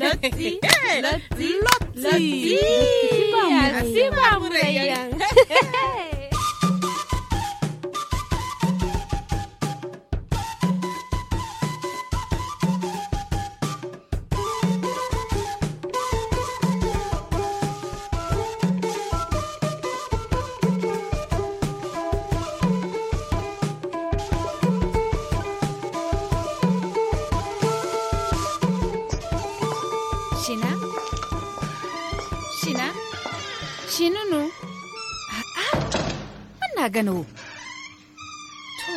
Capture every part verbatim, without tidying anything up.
Lotti. Lotti. Lotti. Lotti. Lotti. Lotti. Sina? Sina? Sina no? A'a. Man na gana wo? To.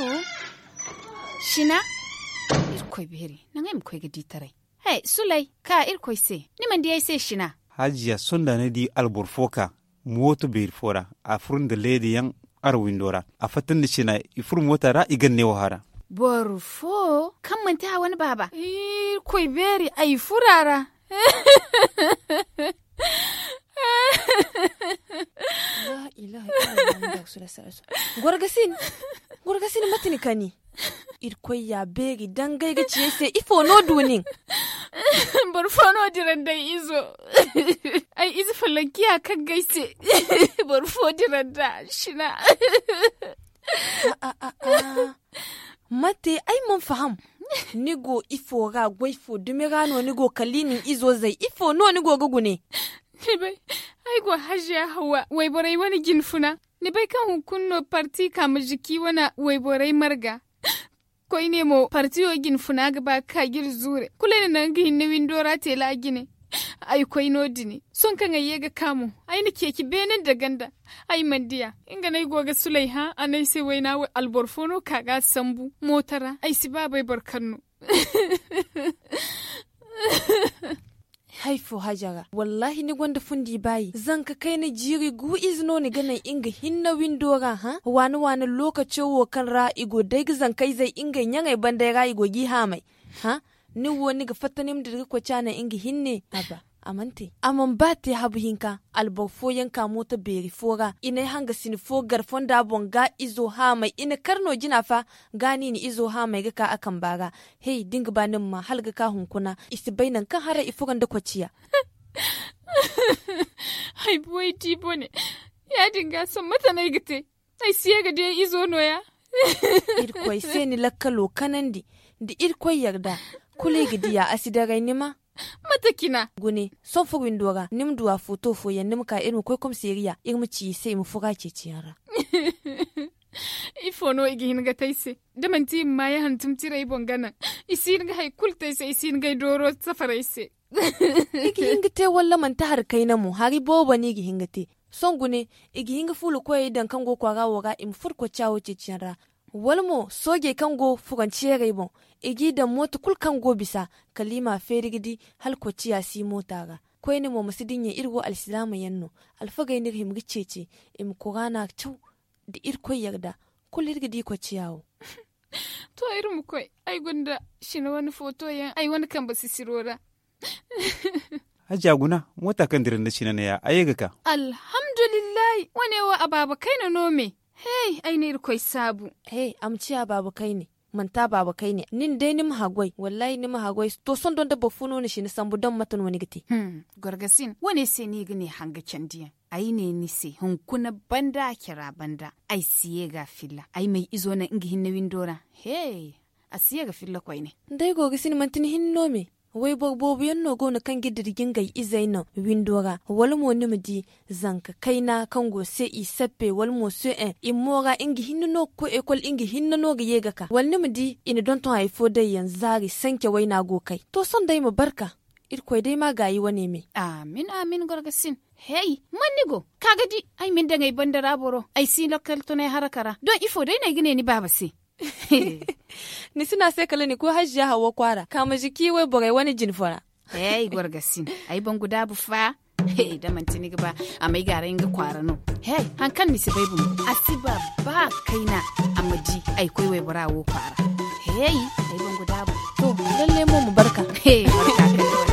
Sina? Irkoy beeri, naŋ ay ma koy ga di taray. Hey, Sulay, ka Irkoy se, ni mana di ay se sina? Hajiya, sonda ni di alboro fo ka mooto beeri fo ra, a furo nda leeda yaŋ ara windo ra. A fatta nda sina, i furo moota ra, i gana neewo hara. Boro fo kaŋ manti a wane baaba? Irkoy beeri, ay furo a ra. Gorgasin, gorgasin, mate ni kani? Irkoy ya beeri dangay ga ci ay se, ifo no du nin? Boro fo no dira nda ay izo. Ay ize falankiya kaŋ ga ay se. Boro fo dira nda sina. Mate ay mana faham? Ni go ifo ra, goy fo dumi ra no ni go kaliini izo zay, ifo no ni go ga gune? Ni bay, ay go hajiya hawa wayborey wane jinfuna. Ni bay kaŋ hunkuna no parti ka ma jiki wane wayborey marga. Koyne mo partiyo jinfuna ga ba ga ka ga iri zuure kulu ay na naŋ ga hinne windo ra teela jine. Ay koy no- din sohõ kaŋ ay ye ga ka mo, ay na ceeci beene nda ganda. Ay mana diya. Nga no ay go ga sulay hã a ne ay se wayna wo alboro fo no ka ga a sambu mooto ra, ay si ba bay boro kaŋ no. Hay fo hajara, wallaahi ni gonda fundi baayi. Zanka kayna jiiri gu ize no ni ga naŋ nga hinne windo ra hã? Waani waani lookaco wo kaŋ ra i go day ga zankayzey ngey ɲaŋey bandey ra i go g'i haamay. Hã? Ni wo ni ga fatta ni ma dira ga koy caana nga hinne? Aba, a mana te. A mana ba te habu hinka, alboro fooyaŋ ka mooto beeri fo ra i n'ay hangasin fo gar fonda boŋ ga izo haamay i na kar no jina fa. Ga no i na izo haamay ga ka a kamba ra. Hey, da ni ga ba ni ma ma hala ga ka hunkuna i si bay nangu kaŋ haray i furo nda kociya. Ay buway di bone. Ya- din ga sohõ mate no ay ga te? Ay si ye ga di ay izo no- ya. Irkoy se ni lakkalo kanandi. Da irkoy yarda, kulu i ga diya a si daray ni ma. Mate cina? Gune, sohõ furo windo ra ni ma du a footo fooyaŋ ni ma ka iri ma koy komiseeriya iri ma ci i se i ma furo a ceeciyaŋ ra. Ifo no i ga hin ga te ay se? Da manti i ma maayaŋ hantum tira ay boŋ ga naŋ, i si hin ga hari kulu te ay se, i si hin ga ay dooro safar ay se. I ga hin ga te walla manti hari kayna mo hari boobo no i ga hin ga te. Sohõ gune, i ga hin ga fuula koyey daŋ kaŋ go kwaara wo ra i ma furo kocca wo ceeciyaŋ ra. Wala mo soojey kaŋ go furanceerey boŋ, i g'i daŋ mooto kulu kaŋ go bisa, kala i m'a feeri ga di hala kocciya si moota ra. Koyne mo ma si dinya iri wo alsilaama yaŋ no. Alfagey no iri hima ga ceeci i ma kuraana caw. Da irkoy yarda, kulu iri ga di kocciya wo. To, iri ma koy. Ay gonda sina wane footo yaŋ ay wane kambe sisiro ra. Hajiya guna, moota kaŋ dira nda sina ne ya a ye ga ka. Alhamdulillahi. Wane wo a baaba kayna no me? Hey, ay na irkoy saabu. Hey, a ma ciya baaba kayne. Manti a baaba kayne nin day ni ma haggoy wallaahi ni ma haggoy. To sohõ doŋ da boro fo no ni sina sambu doŋ mate no ni ga te? Gorgasin, wane se no i ga ne hanga candiyaŋ? Ay ne ni se, hunkuna banda a cara banda. Ay si ye ga a filla ay m'ay izo naŋ nga hinne windo ra. He, a si ye ga filla koyne. Day go ga sina manti ni hinne no me? Wayboro boobo yaŋ no go no kaŋ ga dira ga ngey izey naŋ windo ra wala mo ni ma di zanka kayna kaŋ go se i sappe wala mo se, i mo ra nga hinne no ga koy ekol nga hinne no ga ye ga ka wala ni ma di i na donton hari fo day yaŋ zaari sanke wayna go kay. To sohõ day ma barka. Irkoy day ma gaayi wane me. Amin amin gorgasin. Hey, man ni go ka ga di? Ay ma ni daŋ ay banda ra boro ay si lakkal tunay haraka ra doŋ ifo day no ay ga ne ni baaba se? Ni si no a se kala ni koy haziya hawa kwaara ka ma ziki wayborey wane jine fo ra. Hey gorgasin, ay bangu daabu fa. Hey, da manti ni ga ba a may gaaray nga kwaara no. Hey, hari kaŋ ni si bay bumbo a si ba ba kayna. A ma di ay koy waybora wo kwaara. Hey, ay bangu daabu. To, lalle mo ma barka. Hey, barka kay.